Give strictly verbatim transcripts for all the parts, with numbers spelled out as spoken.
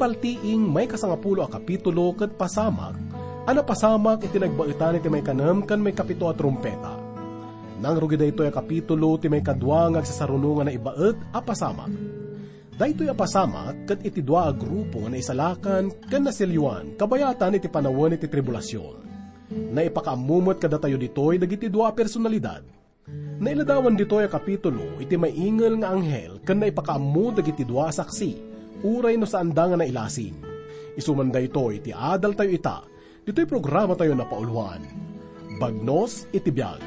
Paltiing maikasangapulo a kapitulo ket pasamak a napasamak iti nagbaetan iti maikanem ken maikapito a trumpeta. Nangrugi daytoy a kapitulo ti maikadua nga agsasaruno nga naibaet a pasamak. Daytoy a pasamak ket iti dua a grupo nga naisalakan ken nasilioan kabayatan iti panawen iti tribulasion. Naipakaammo met kadatayo ditoy dagiti dua a personalidad. Nailadawan ditoy a kapitulo iti maingel nga anghel ken naipakaammo dagiti dua a saksi, uray no saanda nga nailasin. Isu man daytoy ti adaltayo ita, ditoy programatayo napauluan, Bagnos iti Biag.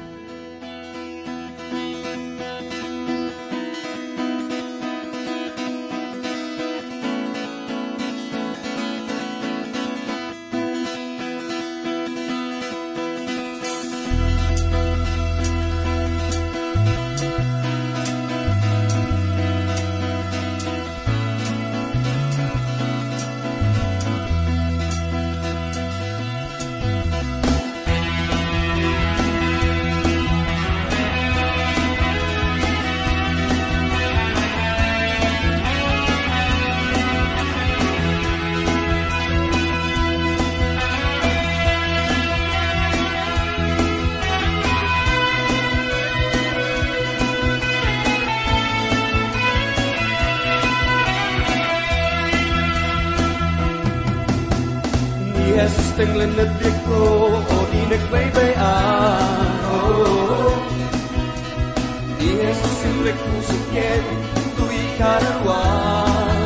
Ni Jesus tenglen ti biagko, o di nagbaybay-an. Oh, ni Jesus simrek pusok ken, ditoy kararua.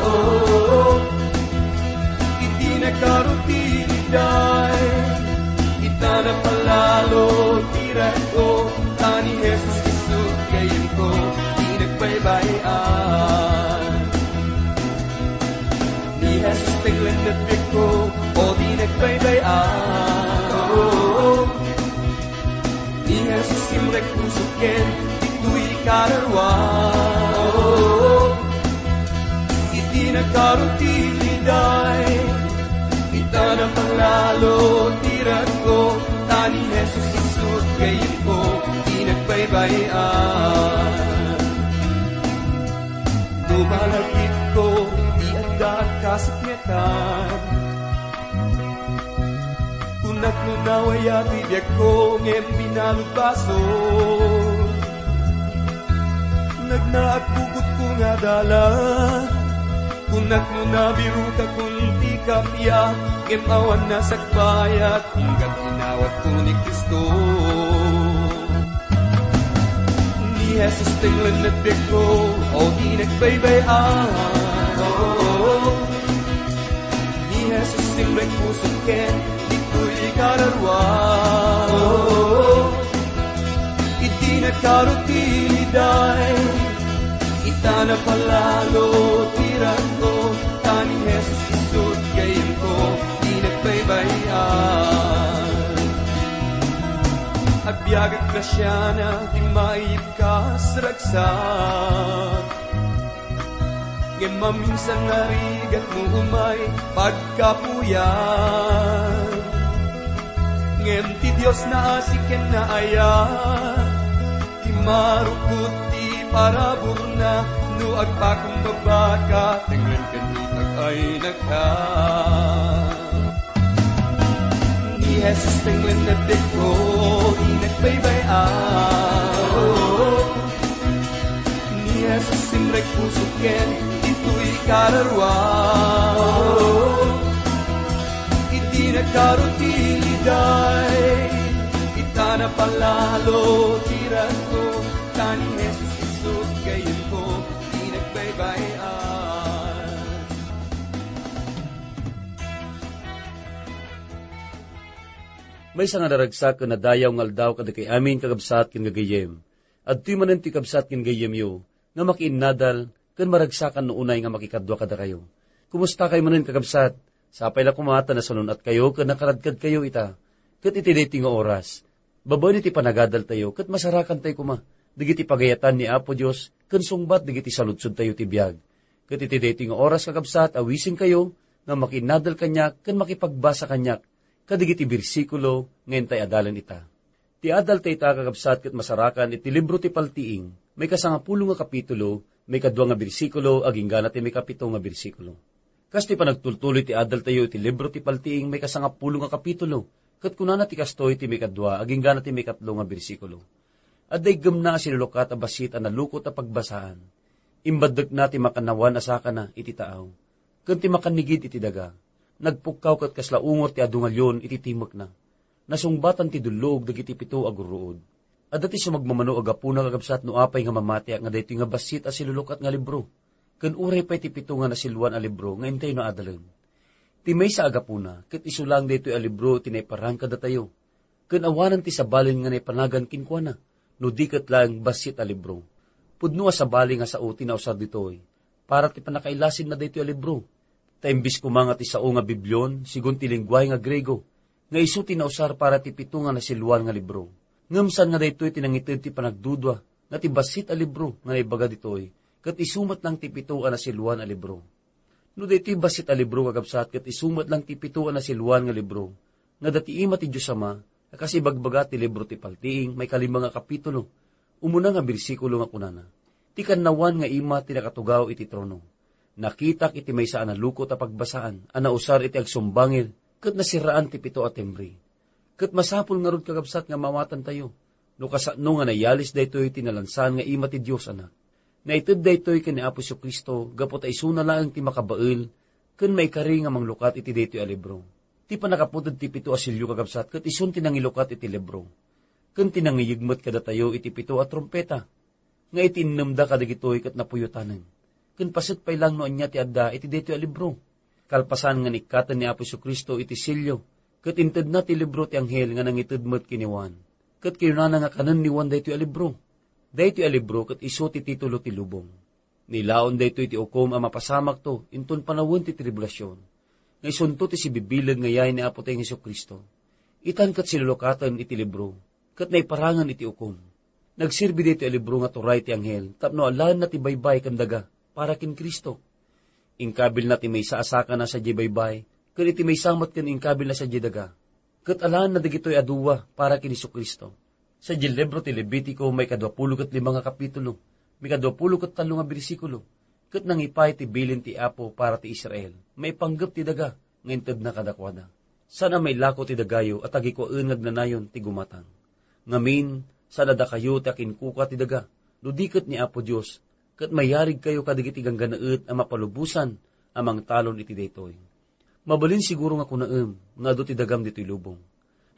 Oh, iti nagkarutiliday, ita napalalo ti ragko, ta ni Jesus isu gayyemko, di nagbaybay-an. Ni Jesus tenglen ti biagko, o di nagbaybay-an. Oh, ni Jesus simrek pusok ken, ditoy kararua. Oh, iti nagkarutiliday, ita napalalo ti ragko, ta ni Jesus isu gayyemko, di nagbaybay-an. No malagipko ti adda a kasakmetan, kunak no nawaya ti biagko ngem binalud basol. Nagnaag pugotko nga adala, kunak no nabirokakon ti kappia, ngem awan nasakbayat, inggan inawatko ni Cristo. Ni Jesus tenglen ti biagko, o di nagbaybay-an. Oh, ni Jesus simrek pusok ken, ditoy kararua. Oh, iti nagkarutiliday, ita napalalo ti ragko, ta ni Jesus isu gayyemko, di nagbaybay-an. Agbiag a grasiana ti maibkas ragsak. Ngem maminsan nga rigat no umay pagkapuyan. Ngem ti Dios naasi ken naayat, ti marukod ti paraburna, no agpakumbaba ka, tenglen ken itag-aynaka. Ni Jesus tenglen ti biagko, di nagbaybay-an. Ni Jesus simrek pusok ken, ditoy kararua. Iti nagkarutiliday, ita napalalo ti ragko, ta ni Jesus isu gayyemko, di nagbaybay-an. Maysa nga naragsak ken nadayaw nga aldaw kadakay amin, kakabsat ken gagayyem. Adtoy manen ti kabsat ken gayyemyo nga makiinnadal ken maragsakan no unay nga makikadua kadakayo. Kumustakay manen, kakabsat? Sapay la koma ta nasanun-atkayo ken nakaradkadkayo ita. Ket iti daytoy nga oras, babaen iti panagadaltayo ket masarakantayo koma dagiti pagayatan ni Apo Dios ken sungbat dagiti saludsodtayo ti biag. Ket iti daytoy nga oras, kakabsat, awisenkayo nga makiinnadal kaniak ken makipagbasa kaniak kadagiti bersikulo nga intay adalen ita. Ti adal dayta, kakabsat, ket masarakan iti libro ti Paltiing, maikasangapulo nga kapitulo, maikadua nga bersikulo, agingga ti maikapito nga bersikulo. Kas ti panagtultuloy ti adaltayo iti libro ti Paltiing maikasangapulo nga kapitulo, ket kunana ti kastoy ti maikadua agingga na ti maikatlo nga bersikulo, "Adda iggemna a silulukat a bassit a nalukot a pagbasaan. Imbaddekna ti makannawan a sakana iti taaw, ken ti makannigid iti daga. Nagpukkaw ket kasla ungor ti adu nga leon iti timekna. Nasungbatan ti dulluog dagiti pito a gurruod." Adda ti sumagmamano a gapuna, kakabsat, no apay nga mamatiak nga daytoy nga bassit a silulukat nga libro, ken uray pay ti pito nga nasiluan a libro nga intayna adalen. Ti maysa a gapuna, ket isu laeng daytoy a libro ti naiparang kadatayo, ken awanen ti sabalen nga naipanagan kenkuana, no di ket laeng bassit a libro. Pudno a sabali nga sao ti nausar ditoy para ti pannakailasinna daytoy a libro. Ta imbes koma nga ti sao nga Biblion, sigun ti lenguahe nga Griego, nga isu ti nausar para ti pito nga nasiluan nga libro. Ngem saan nga daytoy ti nangited ti panagdudua nga ti bassit a libro nga naibaga ditoy, ket isu met laeng ti pito a nasiluan a libro. No daytoy bassit a libro, kakabsat, ket isu met laeng ti pito a nasiluan nga libro, nga adda ti ima ti Dios Ama, a kas ibagbaga ti libro ti Paltiing, maikalima nga kapitulo, umuna nga bersikulo nga kunana, "Ti kannawan nga ima ti nakatugaw iti trono. Nakitak iti maysa a nalukot a pagbasaan a nausar iti agsumbangir ket nasiraan ti pito a timbre." Ket masapul ngarud, kakabsat, nga maawatantayo no kasano nga nayalis daytoy ti nalansan nga ima ti Dios Anak. Naited daytoy ken ni Apo Jesu-Cristo gapu ta isuna laeng ti makabael ken maikari nga manglukat iti daytoy a libro. Ti pannakaputed ti pito a sello, kakabsat, ket isun ti nangilukat iti libro, ken ti nangiyeg met kadatayo iti pito a trumpeta, nga iti innemda kadagitoy ket napuyotanen, ken paset pay laeng no ania ti adda iti daytoy a libro. Kalpasan nga nikkaten ni Apo Jesu-Cristo iti sello, ket intedna ti libro ti anghel nga nangited met ken ni Juan, ket kinunana nga kanen ni Juan daytoy a libro. Daytoy a libro ket isu ti titulo ti lubong. Nilaon daytoy ti ukom a mapasamakto inton panawen ti tribulasion, nga isunto ti sibibileg nga yay ni Apotayo Jesu-Cristo. Itan ket silulukaten iti libro, ket naiparangen iti ukom. Nagserbi daytoy a libro nga turay ti anghel tapno alaenna ti baybay ken daga para ken Cristo. Inkabilna ti maysa a sakana sadiay baybay, ken iti maysa met ken inkabilna sadiay daga. Ket alaenna dagitoy a dua para ken Jesu-Cristo. Sadiay libro ti Levitico, maikadua pulo ket lima nga kapitulo, maikadua pulo ket tallo nga bersikulo, ket nangipay ti bilin ti Apo para ti Israel, maipanggep ti daga nga intedna kadakuada. Saan a mailako ti dagayo a tagikuaen nga agnanayon ti gumatang. Ngamin, saan a dakayo ti akinkuka ti daga, no di ket ni Apo Dios, ket mayarigkayo kadagiti ganggannaet a mapalubosan a mangtalon iti daytoy. Mabalin siguro nga kunaem nga adu ti dagam ditoy lubong.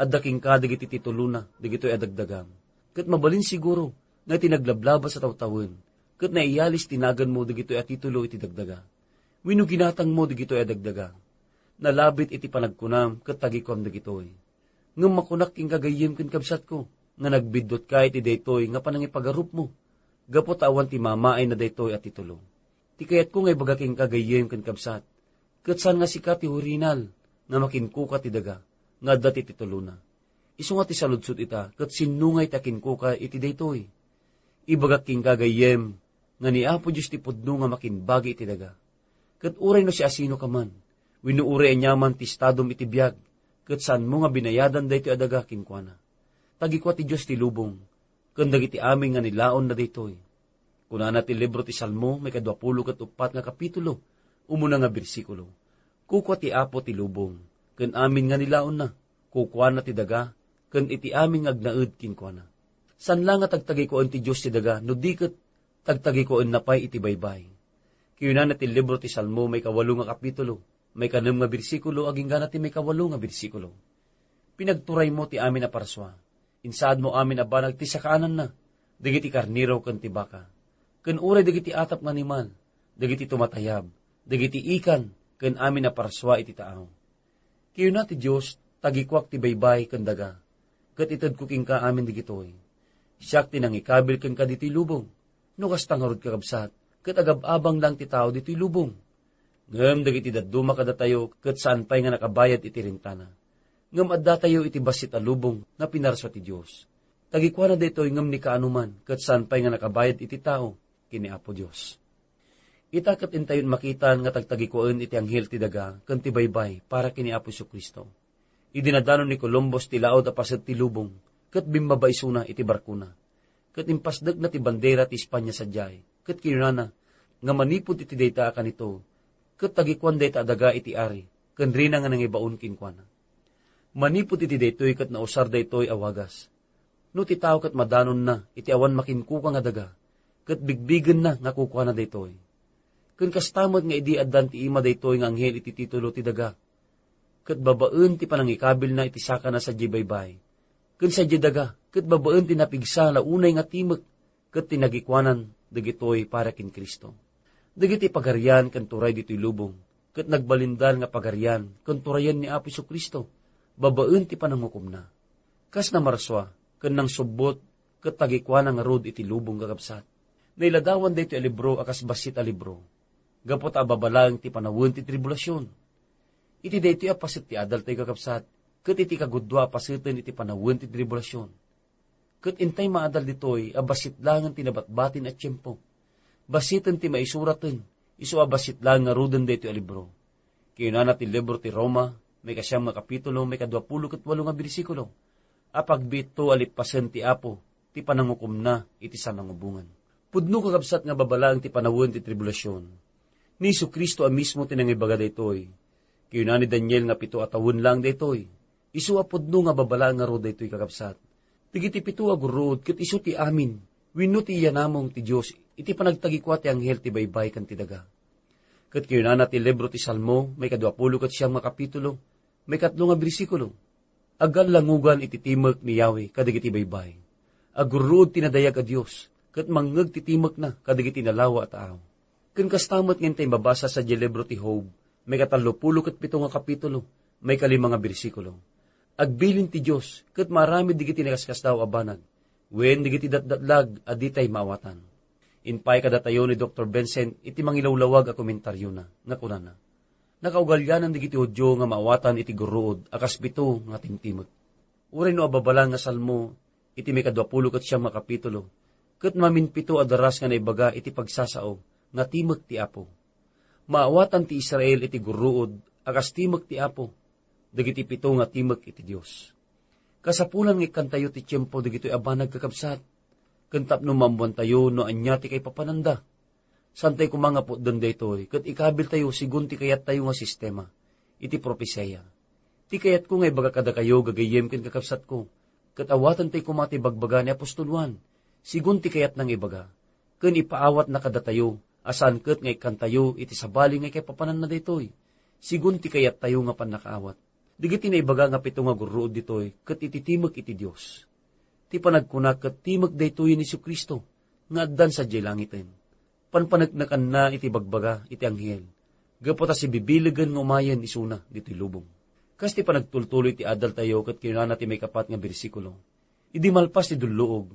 Adda kenka dagiti titulona dagitoy a dagdagam. Ket mabalin siguro nga iti naglablabas a tawtawen, ket naiyalis ti naganmo dagitoy a titulo iti dagdaga. Wenno ginatangmo dagitoy a dagdaga. Nalabit iti panagkunam ket tagikuam dagitoy. Ngem makunak kenka gayyem ken kabsatko, nga nagbiddutka iti daytoy nga panangipagarupmo, gapu ta awan ti mamaayna daytoy a titulo. Ti kayatko nga ibaga kenka gayyem ken kabsat, ket saan nga sika ti hurinal nga makinkuka ti daga nga adda ti titulona. Isu nga ti saludsod ita, ket sinno nga iti akinkuka iti daytoy? Ibagak kenka gayyem nga ni Apo Dios ti pudno nga makinbagi iti daga. Ket uray no siasinoka man, wenno uray aniaman ti estadom iti biag, ket saanmo nga binayadan daytoy a daga kenkuana. Tagikua ti Dios ti lubong, ken dagiti amin nga nilaonna daytoy. Kunana ti libro ti Salmo, maikadua pulo ket uppat nga kapitulo, umuna nga bersikulo, "Kukua ti Apo ti lubong, ken amin nga nilaonna, kukuana ti daga, ken iti amin nga agnaed kenkuana." Saan la nga tagtagikuaen ti Dios ti daga, no di ket tagtagikuaenna pay iti baybay. Kinunana ti libro ti Salmo, maikawalo nga kapitulo, maikanem nga bersikulo, agingga na ti maikawalo nga bersikulo, "Pinagturaymo ti amin a parsua. Insaadmo amin a banag ti sakaananna, dagiti karnero ken ti baka, ken uray dagiti atap nga animal, dagiti tumatayab, dagiti ikan, ken amin a parsua iti taaw." Kinuna ti Dios, "Tagikuak ti baybay ken daga, ket itedko kenka amin dagitoy. Siak ti nangikabil kenka ditoy lubong." No kasta ngarud, kakabsat, ket agab-abang lang ti tao ditoy lubong. Ngem dagiti dadduma kadatayo ket saan pay nga nakabayad iti rentana. Ngem addatayo iti bassit a lubong nga pinarsua ti Dios. Tagikuana daytoy ngem ni kaano man ket saan pay nga nakabayad iti tao ken ni Apo Dios. Ita ket intayon makitan nga tagtagikuaen iti anghel ti daga ken ti baybay para ken ni Apo Jesu-Cristo. Idi nadanon ni Columbus ti laud a paset ti lubong, ket bimmaba isuna iti barkona, ket impasdekna ti bandera ti Espanya sadiay, ket kinunana nga manipud iti dayta a kanito, ket tagikuan dayta a daga iti ari, ken rina nga nangibaon kenkuana. Manipud iti daytoy ket nausar daytoy a wagas. No ti tao ket madanonna iti awan makinkukua nga daga, ket bigbigenna nga kukuana daytoy. Ken kasta met nga idi addan ti ima daytoy nga anghel iti titulo ti daga, ket babaen ti panangikabilna iti sakana sadiay baybay, ken sadiay daga, ket babaen ti napigsa la unay nga timek ket ti nagikuanan dagitoy para ken Cristo. Dagiti pagarian ken turay ditoy lubong, ket nagbalindal nga pagarian ken turayen ni Apo Jesu-Cristo babaen ti panangukomna. Kas namarsua ken nangsubbot ket tagikuana ngarud iti lubong, kakabsat. Nailadawan daytoy a libro a kas bassit a libro, gapu ta ababalaeng ti panawen ti tribulasion. Iti daytoy a paset ti adaltayo, kakabsat, ket iti kagudua a paseten iti panawen ti tribulasion. Ket intay maadal ditoy a bassit laengen ti nabatbatin a tiempo. Bassiten ti maisuraten, isu a bassit laeng ngaruden daytoy a libro. Kinunana ti libro ti Roma, maikasiam nga kapitulo, maikaduapulo ket walo nga bersikulo, a pagbiitto a lippasen ti Apo ti panangukomna iti sanangubongan. Pudno, kakabsat, nga babalaeng ti panawen ti tribulasion. Ni Jesu-Cristo a mismo ti nangibaga daytoy. Kinuna ni Daniel nga pito a tawen laeng daytoy. Isu a pudno nga babalaeng ngarud daytoy, kakabsat. Dagiti pito a gurruod ket isu ti amin wenno ti iyanamong ti Dios iti panagtagikua ti anghel ti baybay ken ti daga. Ket kinunana ti libro ti Salmo, maikaduapulo ket siam nga kapitulo, maikatlo nga bersikulo, "Aggallangugan iti timek ni Yahweh kadagiti baybay. Agurruod ti nadayag a Dios, ket mangngeg ti timekna kadagiti nalawa a tao." Ken kasta met nga intay mabasa sadiay libro ti Job, maikatallopulo ket pito nga kapitulo, maikalima nga bersikulo, "Agbilin ti Dios ket maaramid dagiti nakaskasdaaw a banag, wen dagiti datdatlag a ditay maawatan." Impay kadatayo ni Doktor Vincent iti mangilawlawag a komentariona nga kunana, "Nakaugalianan dagiti Judio nga maawatan iti gurruod a kas pito nga timtimek." Uray no ababalaen nga Salmo iti maikaduapulo ket siam nga kapitulo, ket maminpito a daras nga naibaga iti pagsasao nga timek ti Apo. Maawatan ti Israel iti gurruod a kas timek ti Apo, dagiti pito nga timek iti Dios. Kasapulan nga ikkantayo ti tiempo dagitoy a banag, kakabsat, ken tapno maammoantayo no ania ti kaipapananda. Saantayo koma nga putden daytoy, ket ikabiltayo sigun ti kayattayo nga sistema iti propesia. Ti kayatko nga ibaga kadakayo, gagayyem ken kakabsatko, ket awatentayo koma ti bagbaga ni apostol Juan, sigun ti kayatna nga ibaga, ken ipaawatna kadatayo a saan ket nga ikkantayo iti sabali nga ikaipapananna daytoy, sigun ti kayattayo nga pannakaawat. Dagiti naibaga nga pito nga gurruod ditoy ket iti timek iti Dios. Ti panagkuna ket timek daytoy ni Jesu-Cristo nga addan sadiay langiten. Panpaneknekanna iti bagbaga iti anghel, gapu ta sibibilegen nga umayen isuna ditoy lubong. Kas ti panagtultuloy ti adaltayo ket kinunana ti maikapat nga bersikulo, "Idi malpas ti dulluog,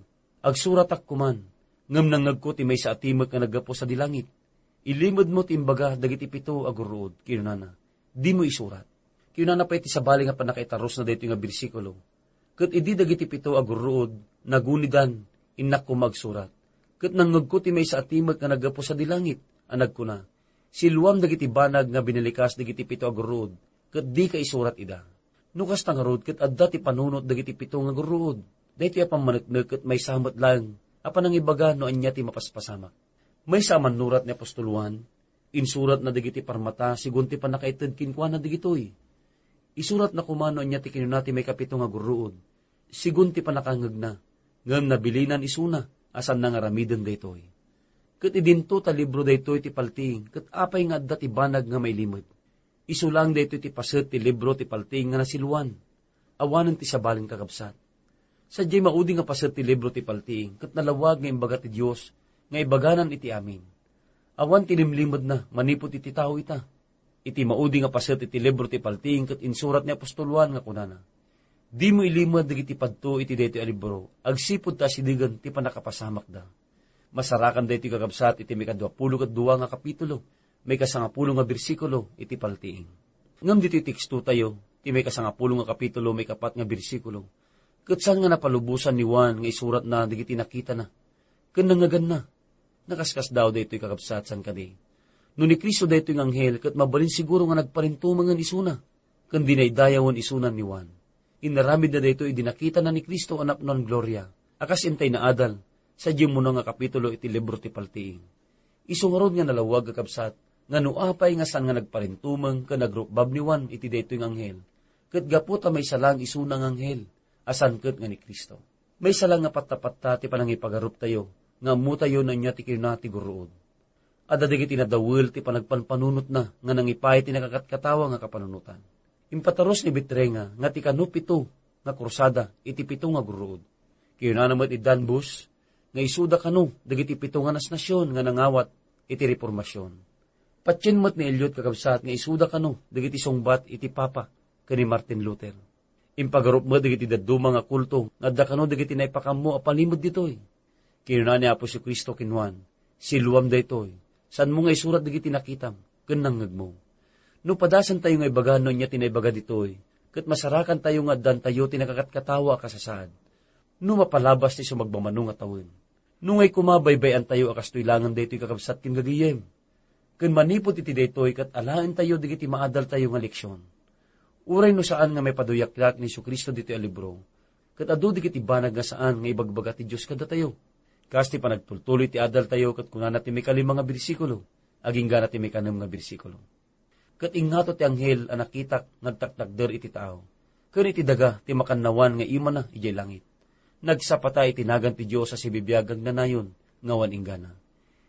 agsuratak koman, ngem nangngegko ti maysa a timek nga naggapu sadi langit. Ilimedmo ti imbaga dagiti pito a gurruod," kinunana. "Dimo isurat." Kinunana pay ti sabali nga pannakaitarusna daytoy nga bersikulo, "Ket idi dagiti pito a gurruod nagunidan, innak koma agsurat. Ket nangngegko ti maysa a timek nga naggapu sadi langit a nagkuna, 'Siluam dagiti banag nga binalikas dagiti pito a gurruod, ket dika isurat ida.'" No kasta ngarud, ket adda ti panunot dagiti pito nga gurruod. Daytoy a pammaneknek ket maysa met laeng a panangibaga no ania ti mapaspasamak. Maysa a mannurat ni apostol Juan, insuratna dagiti parmata sigun ti pannakaited kenkuana dagitoy. Isuratna koma no ania ti kinuna ti maikapito nga gurruod, sigun ti pannakangngegna, ngem nabilinan isuna a saanna nga aramiden daytoy. Ket idinto ta libro daytoy ti paltiing, ket apay nga adda ti banag nga mailimed? Isu laeng daytoy ti paset ti libro ti paltiing nga nasiluan. Awanen ti sabali, kakabsat. Sadiay maudi nga paset ti libro ti paltiing, ket nalawag nga imbaga ti Dios nga ibaganan iti amin. Awan ti limlimedna manipud iti tao ita. Iti maudi nga paset iti libro ti paltiing ket insurat ni apostol Juan nga kunana, "Dimo ilimed dagiti padto iti daytoy a libro, agsipud ta asidegen ti pannakapasamakda." Masarakan daytoy, kakabsat, iti maikaduapulo ket dua nga kapitulo, maikasangapulo nga bersikulo iti paltiing. Ngem ditoy tekstotayo, ti maikasangapulo nga kapitulo, maikapat nga bersikulo, ket saan nga napalubosan ni Juan nga isuratna dagiti nakitana ken nangngeganna. Nakaskasdaaw daytoy, kakabsat, saan kadi? No ni Cristo daytoy nga anghel, ket mabalin siguro nga nagparintumengen isuna ken dinaydayawen isuna ni Juan. Inaramidna daytoy idi nakitana ni Cristo a napnoan gloria, a kas intay naadal sadiay umuna nga kapitulo iti libro ti paltiing. Isu ngarud nga nalawag, kakabsat, nga no apay nga saan nga nagparintumeng ken nagrukbab ni Juan iti daytoy nga anghel, ket gapu ta maysa laeng isuna nga anghel, a saan ket nga ni Cristo. Maysa laeng nga pattapatta ti panangipagaruptayo, nga ammotayo no ania ti kinuna ti gurruod. Adda dagiti nadawel ti panagpanpanunotna nga nangipaay ti nakakatkatawa nga kapanunotan. Impatarus ni Vitrenga nga ti kano pito nga krusada iti pito nga gurruod. Kinunana met ni Dunn Booth nga isuda kano dagiti pito nga nasnasion nga nangawat iti Reformasion. Patien met ni Eliot, kakabsat, nga isuda kano dagiti sungbat iti Papa ken ni Martin Luther. Impagarup met dagiti dadduma nga kulto nga adda kano dagiti naipakammo a palimed ditoy. Kinuna ni Apo Jesu-Cristo ken Juan, "Siloam daytoy, saanmo nga isurat dagiti nakitam ken nangngegmo." No padasentayo nga ibaga no ania ti naibaga ditoy, ket masarakantayo nga addantayo ti nakakatkatawa a kasasaad. No mapalabas ti sumagmamano nga tawen. No ngay koma, baybay-antayo a kastoy laengen daytoy, kakabsat ken gagayem. Ken manipud iti daytoy ket alaentayo dagiti maadaltayo nga leksion. Uray no saan nga maipaduyaklak ni Jesu-Cristo ditoy a libro, ket adu dagiti banag nga saan nga ibagbaga ti Dios kadatayo. Kas ti panagtultuloy ti adaltayo ket kunana ti maikalima nga bersikulo, agingga na ti maikanem nga bersikulo. Ket ingngato ti anghel a nakitak nga agtaktakder iti taaw, ken iti daga ti makannawan nga imana idiay langit. Nagsapata iti nagan ti Dios a sibibiag agnanayon nga awan inggana.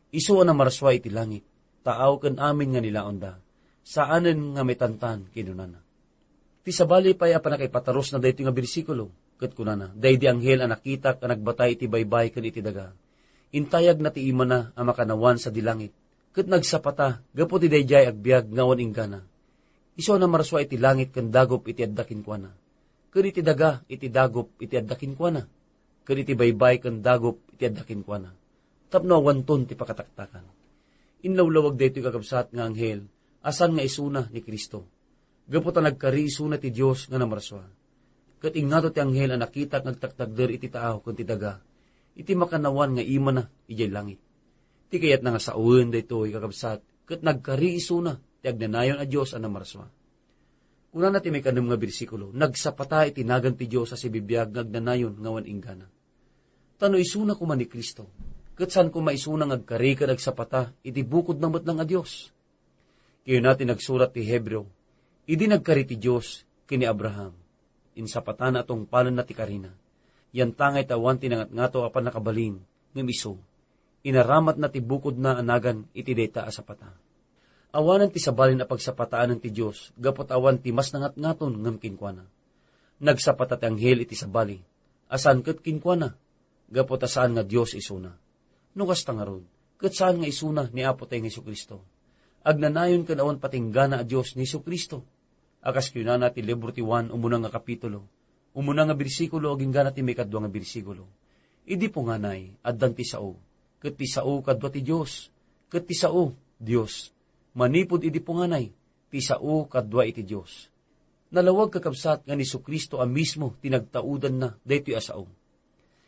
Isu a namarsua iti langit, taaw ken amin nga nilaonda, saanen nga maitantan, kinunana. Ti sabali pay a pannakaipatarusna daytoy nga bersikulo, ket kunana, daydi anghel a nakitak a nagbatay iti baybay ken iti daga. Intayagna ti imana a makannawan sadi langit, ket nagsapata gapu ti daydiay agbiag nga awan inggana. Isu a namarsua iti langit ken dagup iti adda kenkuana, ken iti daga iti dagup iti adda kenkuana, ken iti baybay ken dagup iti adda kenkuana, tapno awanton ti pakataktakan. Inlawlawag daytoy, kakabsat, nga anghel a saan nga isuna ni Cristo, gapu ta nagkari isuna ti Dios nga namarsua. Ket ingngato ti anghel a nakitak nga agtaktakder iti taaw ken ti daga, iti makannawan nga imana idiay langit. Ti kayatna nga saoen daytoy, kakabsat, ket nagkari isuna ti agnanayon a Dios a namarsua. Kunana ti maikanem nga bersikulo, nagsapata iti nagan ti Dios a sibibiag nga agnanayon nga awan inggana. Ta no isuna koma ni Cristo, ket saan koma isuna nga agkari ken agsapata iti bukodna met lang a Dios. Kinuna ti nagsurat ti Hebreo, idi nagkari ti Dios ken ni Abraham, insapatana a tungpalenna ti karina. Yantangay ta awan ti nangatngato a pannakabalin ngem isu, inaramatna ti bukodna a nagan iti dayta a sapata. Awanen ti sabalin a pagsapataanen ti Dios gapu ta awan ti mas nangatngaton ngem kenkuana. Nagsapata ti anghel iti sabali a saan ket kenkuana, gapu ta saan nga Dios isuna. No kasta ngarud, ket saan nga isuna ni Apo tayo nga Jesu-Cristo. Agnanayon ken awan patinggana a Dios ni Jesu-Cristo. A kas kinunana ti libro ti Juan, umuna nga kapitulo, umuna nga bersikulo, agingga na ti maikadua nga bersikulo. Idi punganay, addan ti sao, ket ti sao kadua ti Dios, ket ti sao, Dios. Manipud idi punganay, ti sao kadua iti Dios. Nalawag, kakabsat, nga ni Jesu-Cristo a mismo ti nagtaudanna daytoy a sao.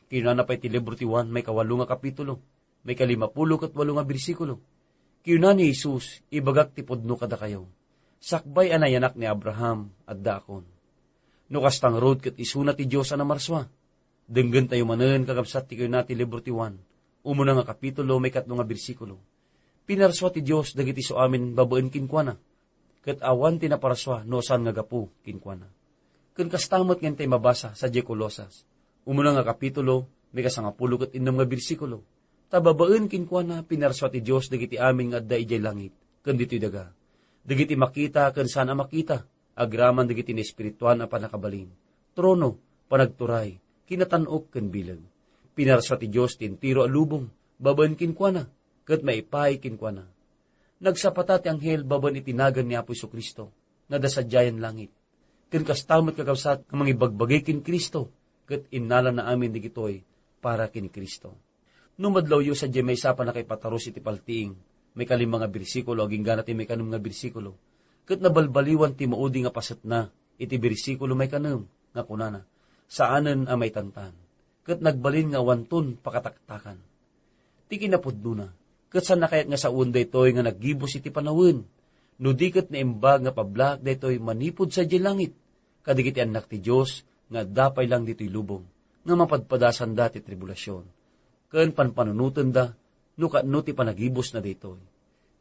Kinunana pay ti libro ti Juan, maikawalo nga kapitulo, maikalimapulo ket walo nga bersikulo. Kinuna ni Jesus, "Ibagak ti pudno kadakayo, sakbay a nayanak ni Abraham, addaakon." No kasta ngarud ket isuna ti Dios a namarsua. Denggentayo manen, kakabsat, ti kinuna ti libro ti Juan, umuna nga kapitulo, maikatlo nga bersikulo. Pinarsua ti Dios dagiti suamin babaen kenkuana, ket awan ti naparsua no saan nga gapu kenkuana. Ken kasta met nga intay mabasa sadiay Colosas, umuna nga kapitulo, maikasangapulo ket innem nga bersikulo. Ta babaen kenkuana, pinarsua ti Dios dagiti amin nga adda idiay langit ken ditoy daga, dagiti makita ken saan a makita, agraman dagiti naespirituan a pannakabalin, trono, panagturay, kinatan-ok ken bileg. Pinarsua ti Dios ti entero a lubong babaen kenkuana, ket maipaay kenkuana. Nagsapata ti anghel babaen iti nagan ni Apo Jesu-Cristo nga adda sadiayen langit. Ken kasta met, kakabsat, nga mangibagbagi ken Cristo, ket innalana amin dagitoy para ken Cristo. No madlawyo sadiay maysa a pannakaipatarus iti paltiing, maikalima nga bersikulo agingga na ti maikanem nga bersikulo, ket nabalbaliwan ti maudi nga pasetna iti bersikulo maikanem nga kunana, "Saanen a maitantan, ket nagbalin nga awanton pakataktakan." Ti kinapudnona, ket saan a kayat nga saoen daytoy nga naggibus iti panawen, no di ket naimbag nga pablaak daytoy manipud sadiay langit, kadagiti annak ti Dios nga adda pay lang ditoy lubong, nga mapadpadasanda ti tribulasion ken panpanunotenda no kaano ti panagibusna daytoy.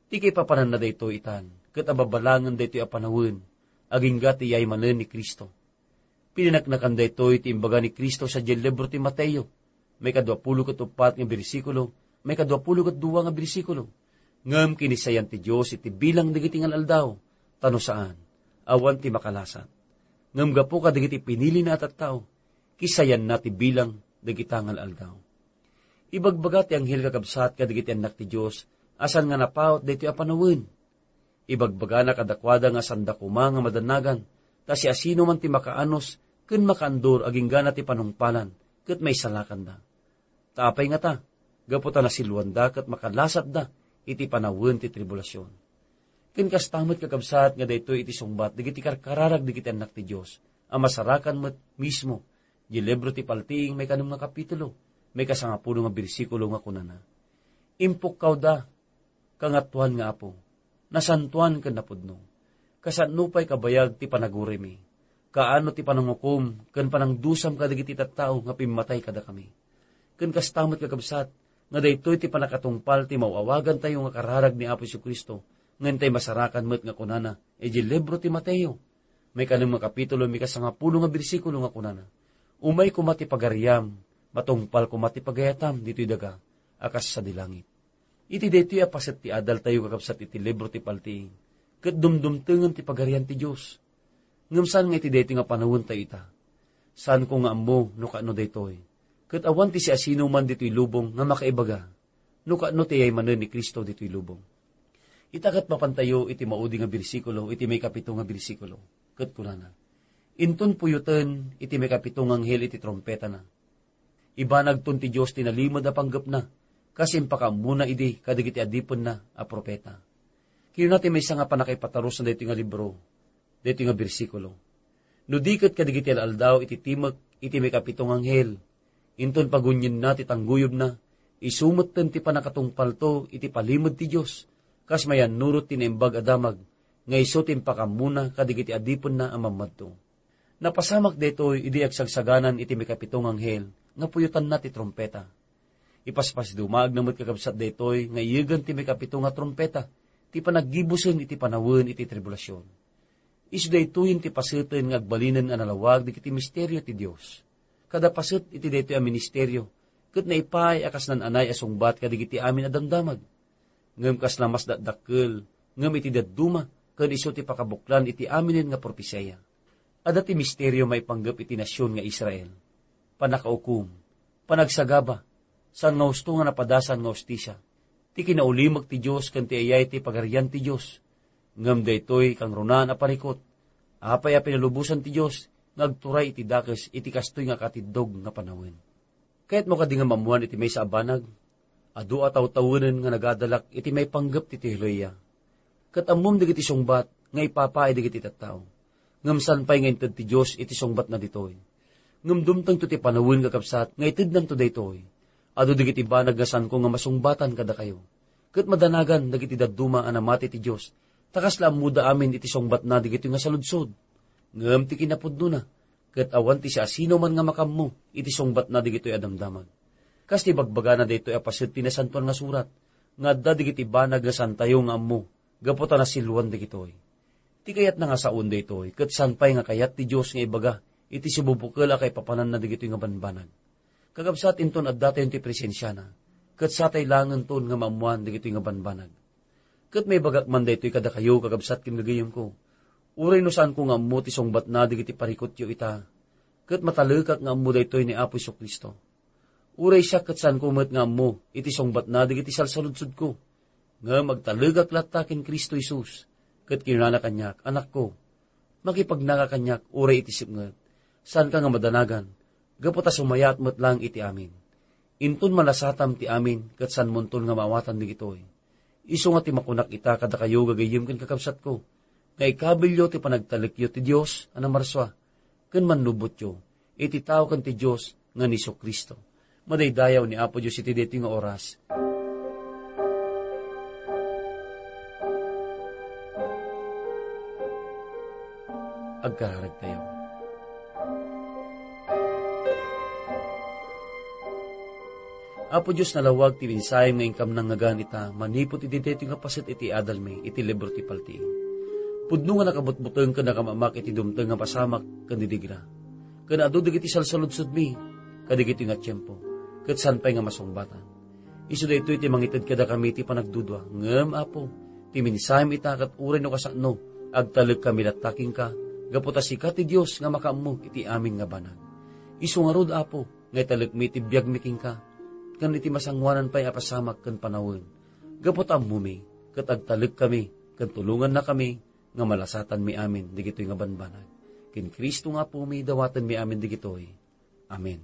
Ti kaipapananna daytoy itan, ket ababalangen daytoy a panawen, agingga ti yaymanen ni Cristo. Pinaneknekan daytoy ti imbaga ni Cristo sadiay libro ti Mateo, maikadua pulo ket uppat nga bersikulo, maikadua pulo ket dua nga bersikulo. Ngem kinisayan ti Dios iti bilang dagiti ngal-aldaw, ta no saan, awan ti makalasat. Ngem gapu kadagiti pinilina a tattao, kisayanna ti bilang dagita ngal-aldaw. Ibagbaga ti anghel, kakabsat, kadagiti annak ti Dios a saan nga napaut daytoy a panawen. Ibagbagana kadakuada nga saanda koma nga madanagan, ta siasinoman ti makaanus ken makaandur aginggana ti panungpalan ket maisalakanda. Ta apay ngata? Gapu ta nasiluanda ket makalasatda iti panawen ti tribulasion. Ken kasta met, kakabsat, nga daytoy iti sungbat dagiti karkararag dagiti annak ti Dios a masarakan met mismo di libro ti Paltiing, maikanem nga kapitulo, maikasangapulo nga bersikulo, nga kunana, "Impukkawda, Kangatoan nga Apo, nasantoan ken napudno. Kasano pay kabayag ti panaguraymi? Kaano ti panangukom ken panangdusam kadagiti tattao nga pimmatay kadakami?" Ken kasta met, kakabsat, nga daytoy ti pannakatungpal ti maaw-awagantayo nga kararag ni Apo Jesu-Cristo, nga intay masarakan met nga kunana idiay libro ti Mateo, maikanem nga kapitulo, maikasangapulo nga bersikulo, nga kunana, "Umay koma ti pagariam, matungpal koma ti pagayatam ditoy daga a kas sadi langit." Iti daytoy a paset ti adaltayo, kakabsat, iti libro ti Paltiing, ket dumdumtengen ti Pagarian ti Dios. Ngem saan nga iti daytoy nga panawentayo ita. Saanko nga ammo no kaano daytoy. Ket awan ti siasinoman ditoy lubong nga makaibaga no kaano ti yaymanen ni Cristo ditoy lubong. Ita ket mapantayo iti maudi nga bersikulo, iti maikapito nga bersikulo, ket kunana, "Inton puyoten iti maikapito nga anghel iti trumpetana, ibanagton ti Dios ti nalimed a panggepna, kas impakaammona idi kadagiti adipenna a profeta." Kinuna ti maysa nga pannakaipatarusna daytoy nga libro, daytoy nga bersikulo, "No di ket kadagiti al-aldaw iti timek iti maikapito nga anghel, inton pagunienna ti tangguyobna, isu metten ti pannakatungpalto iti palimed ti Dios, kas mayannurot ti Naimbag a Damag, nga isu ti impakaammona kadagiti adipenna a mammadto." Napasamak daytoy idi agsagsaganan iti maikapito nga anghel nga puyotanna ti trumpeta. Ipaspasdumaagna met, kakabsat, daytoy nga iyegen ti maikapito nga trumpeta ti panaggibusen iti panawen iti tribulasion. Isu daytoyen ti paseten nga agbalinen a nalawag dagiti misterio ti Dios. Kada paset iti daytoy a ministerio, ket naipaay a kas naan-anay a sungbat kadagiti amin a damdamag. Ngem kasla mas dakdakkel, ngem iti dadduma, ken isu ti pakabuklan iti aminen nga propesia. Adda ti misterio maipanggep iti nasion nga Israel. Pannakaukom, panagsagaba, saan nga husto nga napadasan nga hustisia, ti kinaulimek ti Dios ken ti ayay ti Pagarian ti Dios. Ngem daytoy kangrunaan a parikut, apay a pinalubosan ti Dios nga agturay iti dakes iti kastoy nga katiddog nga panawen? Kayatmo kadi nga maammoan iti maysa a banag? Adu a tawtawenen nga nagadalak iti maipanggep ti teolohiya. Ket ammom dagiti sungbat nga ipapaay dagiti tattao. Ngem saan pay nga inted ti Dios iti sungbatna ditoy. Ngem dumtengto ti panawen, kakabsat, nga itednanto daytoy. Adu dagiti banag nga saanko nga masungbatan kadakayo. Ket madanagan dagiti dadduma a namati ti Dios, ta kasla ammoda amin iti sungbatna dagitoy nga saludsod. Ngem ti kinapudnona, ket awan ti siasinoman nga makaammo iti sungbatna dagitoy a damdamag. Kas ti bagbagana daytoy a paset ti Nasantoan nga Surat, nga adda dagiti banag nga saantayo nga ammo gapu ta nasiluan dagitoy. Ti kayatna nga saoen daytoy, ket saan pay nga kayat ti Dios nga ibaga iti sibubukel a kaipapananna dagitoy nga banbanag. Kakabsat, inton addatayon ti presensiana, ket satay laengenton nga maammoan dagitoy nga banbanag. Ket maibagak man daytoy kadakayo, kakabsat ken gagayemko, uray no saanko nga ammo ti sungbatna dagiti parikutyo ita, ket matalekak nga ammo daytoy ni Apo Jesu-Cristo. Uray siak ket saanko met nga ammo iti sungbatna dagiti salsaludsodko. Ngem agtalekak latta ken Cristo Jesus, ket kinunana kaniak, "Anakko, makipagnaka kaniak uray iti sipnget. Saanka nga madanagan, gapu ta sumayaat met laeng iti amin. Inton malasatam ti amin ket saanmonton nga maawatan dagitoy. Isu nga ti makunak ita kadakayo, gagayyem ken kakabsatko, nga ikabilyo ti panagtalekyo ti Dios a namarsua ken mannubotyo iti tao ken ti Dios nga ni Jesu-Cristo." Madaydayaw ni Apo Dios iti daytoy nga oras. Agkararagtayo. Apo Dios, nalawag ti mensahem nga inkam nangngegan ita manipud iti daytoy nga paset iti adalmi iti libro ti Paltiing. Pudno nga nakabutbuteng ken nakamamak iti dumteng nga pasamak ken didigra. Ken adu dagiti salsaludsodmi kadagitoy nga tiempo, ket saan pay nga masungbatan. Isu daytoy ti mangited kadakami ti panagdudua. Ngem, Apo, ti mensahem ita ket uray no kasano, agtalekkami latta kenka, gapu ta sika ti Dios nga makaammo iti amin nga banag. Isu ngarud, Apo, nga italekmi ti biagmi kenka, ken iti masangoanan pay a pasamak ken panawen. Gapu ta ammomi, ket agtalekkami, ken tulongannakami nga malasatanmi amin dagitoy nga banbanag. Ken Cristo nga Apomi, dawatenmi amin dagitoy. Amen.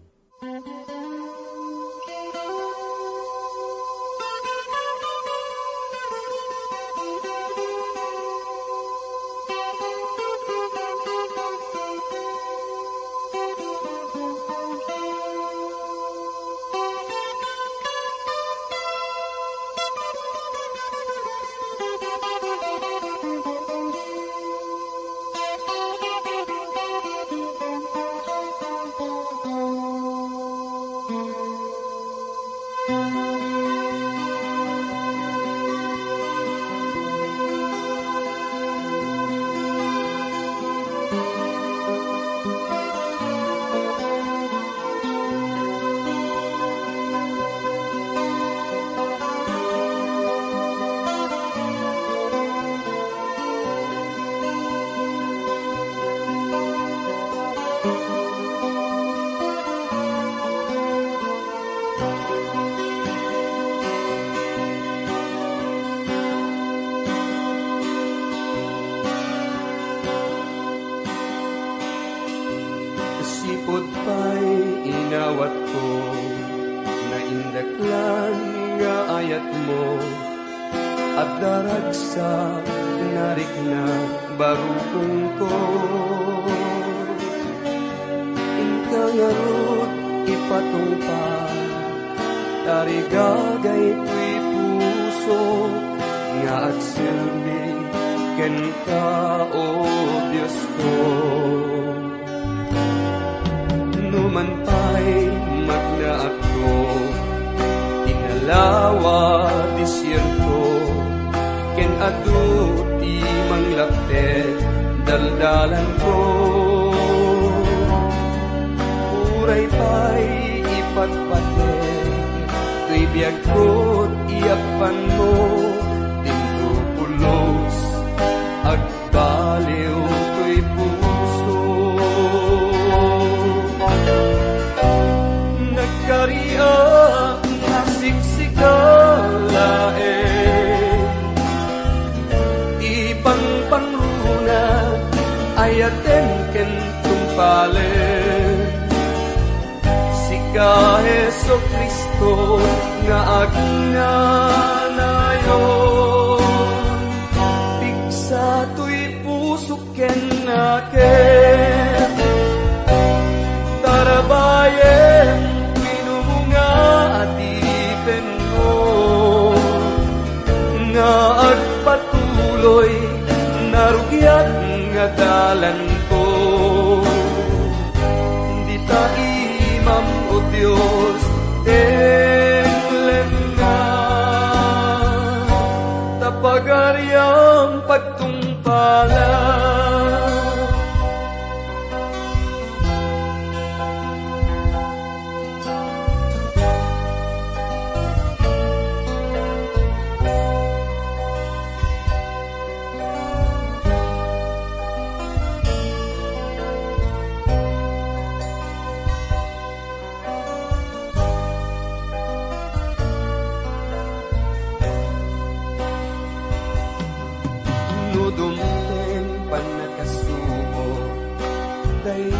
Sipud pay inawatko, naindaklan nga ayatmo, adda ragsak narikna barukongko. Inka ngarud ipatungpal, tarigagay toy puso nga agserbi kenka, O Diosko. Numan pay magnaatko, inalawa desierto, ken adu ti manglaptek daldalanko. Uray pay ipatpatek toy biagko ti yappanmo, tinlo pulos ag- baliw toy puso. Nagkariak nga siksika laeng ti pangpangruna, ayaten ken tungpalen. Sika, Jesu-Cristo, nga agnanayon, pigsa toy pusok ken nakem. Tarabayem ti numunga a dipenmo, nga agpatuloy narugiat nga dalanko. Dita imam, O Dios, tenglenna, ta pagariam pagtungpalan. No dumteng pannakasubo, day